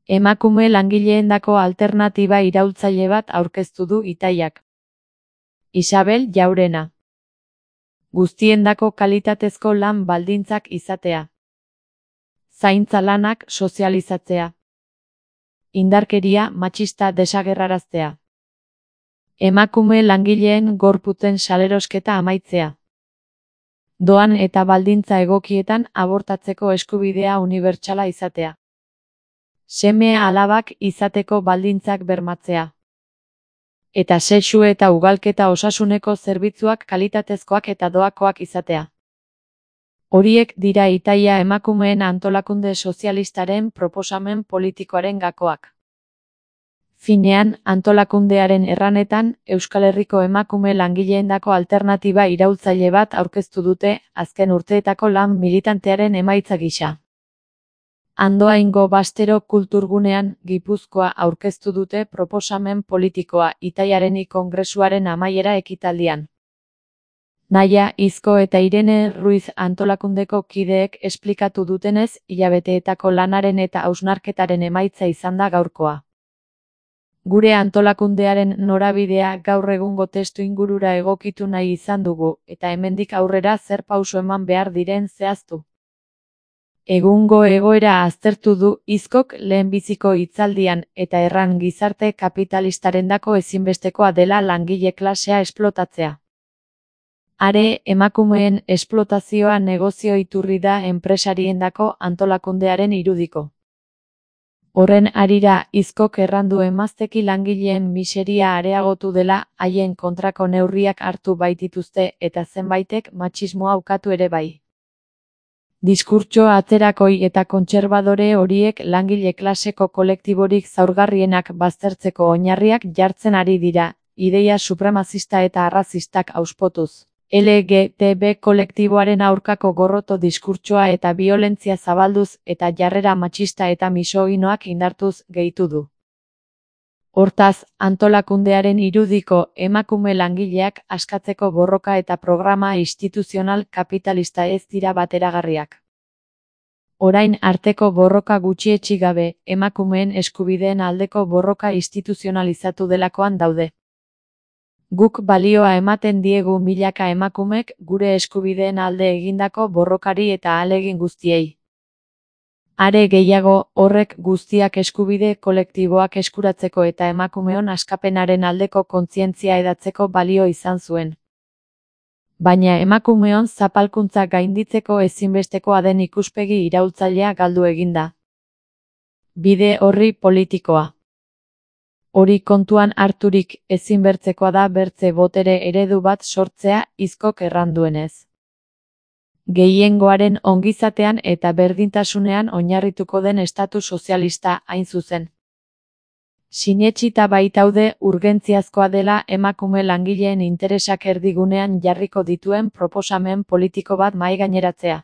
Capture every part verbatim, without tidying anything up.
Emakume langileendako alternatiba iraultzaile bat aurkeztu du Itaiak. Isabel Jaurena. Guztiendako kalitatezko lan baldintzak izatea. Zaintza lanak sozializatzea. Indarkeria matxista desagerraraztea. Emakume langileen gorputzen salerosketa amaitzea. Doan eta baldintza egokietan abortatzeko eskubidea unibertsala izatea. Seme alabak izateko baldintzak bermatzea. Eta sexu eta ugalketa osasuneko zerbitzuak kalitatezkoak eta doakoak izatea. Horiek dira Itaia emakumeen antolakunde sozialistaren proposamen politikoaren gakoak. Finean, antolakundearen erranetan, Euskal Herriko emakume langileendako alternatiba iraultzaile bat aurkeztu dute, azken urteetako lan militantearen emaitza gisa. Andoaingo Bastero Kulturgunean, Gipuzkoa aurkeztu dute proposamen politikoa Itaiaren kongresuaren amaiera ekitaldian. Naia Izko eta Irene Ruiz antolakundeko kideek esplikatu dutenez, hilabeteetako lanaren eta hausnarketaren emaitza izan da gaurkoa. Gure antolakundearen norabidea gaur egungo testu ingurura egokitu nahi izan dugu, eta hemendik aurrera zer pauso eman behar diren zehaztu. Egungo egoera aztertu du Izkok lehenbiziko hitzaldian eta erran gizarte kapitalistarendako ezinbestekoa dela langile klasea esplotatzea. Are, emakumeen esplotazioa negozio iturri da enpresariendako antolakundearen irudiko. Horren harira, Izkok errandu emazteki langileen miseria areagotu dela, haien kontrako neurriak hartu baitituzte eta zenbaitek matxismoa ukatu ere bai. Diskurtso atzerakoi eta kontserbadore horiek langile klaseko kolektiborik zaurgarrienak baztertzeko oinarriak jartzen ari dira, ideia supremazista eta arrazistak auspotuz. L G B T kolektiboaren aurkako gorroto diskurtsoa eta biolentzia zabalduz eta jarrera matxista eta misoginoak indartuz gehitu du. Hortaz, antolakundearen irudiko emakume langileak askatzeko borroka eta programa instituzional kapitalista ez dira bateragarriak. Orain arteko borroka gutxietsi gabe, emakumeen eskubideen aldeko borroka instituzionalizatu delakoan daude. Guk balioa ematen diegu milaka emakumek gure eskubideen alde egindako borrokari eta ahalegin guztiei. Are gehiago, horrek guztiak eskubide kolektiboak eskuratzeko eta emakumeon askapenaren aldeko kontzientzia edatzeko balio izan zuen. Baina emakumeon zapalkuntza gainditzeko ezinbestekoa den ikuspegi iraultzailea galdu eginda. Bide horri politikoa. Hori kontuan harturik ezinbertzekoa da bertze botere eredu bat sortzea Izkok erranduenez. Gehiengoaren ongizatean eta berdintasunean oinarrituko den estatu sozialista hain zuzen. Sinetsita baitaude urgentziazkoa dela emakume langileen interesak erdigunean jarriko dituen proposamen politiko bat mahaigaineratzea.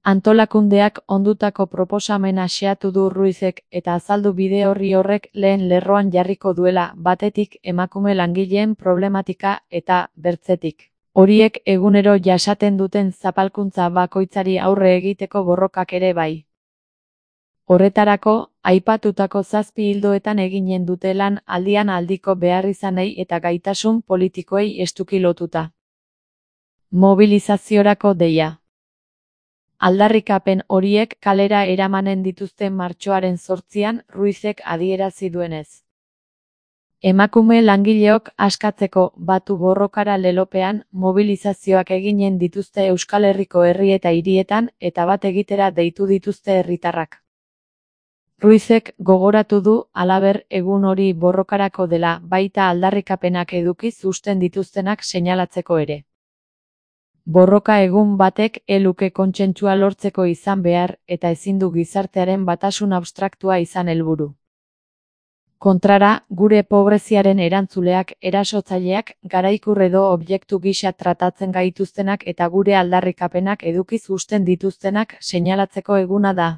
Antolakundeak ondutako proposamena xeatu du Ruizek eta azaldu bide horri horrek lehen lerroan jarriko duela batetik emakume langileen problematika eta bertzetik. Horiek egunero jasaten duten zapalkuntza bakoitzari aurre egiteko borrokak ere bai. Horretarako, aipatutako zazpi ildoetan eginen dute lan aldian aldiko beharrizanei eta gaitasun politikoei estuki lotuta. Mobilizaziorako deia. Aldarrikapen horiek kalera eramanen dituzten martxoaren zortzian Ruizek adierazi duenez. Emakume langileok askatzeko batu borrokara lelopean mobilizazioak eginen dituzte Euskal Herriko herri eta hirietan eta bat egitera deitu dituzte herritarrak. Ruizek gogoratu du halaber egun hori borrokarako dela baita aldarrikapenak edukiz uzten dituztenak seinalatzeko ere. Borroka egun batek eluke kontsentsua lortzeko izan behar eta ezin du gizartearen batasun abstraktua izan helburu. Kontrara, gure pobreziaren erantzuleak, erasotzaileak, garaikur edo objektu gisa tratatzen gaituztenak eta gure aldarrikapenak edukiz uzten dituztenak seinalatzeko eguna da.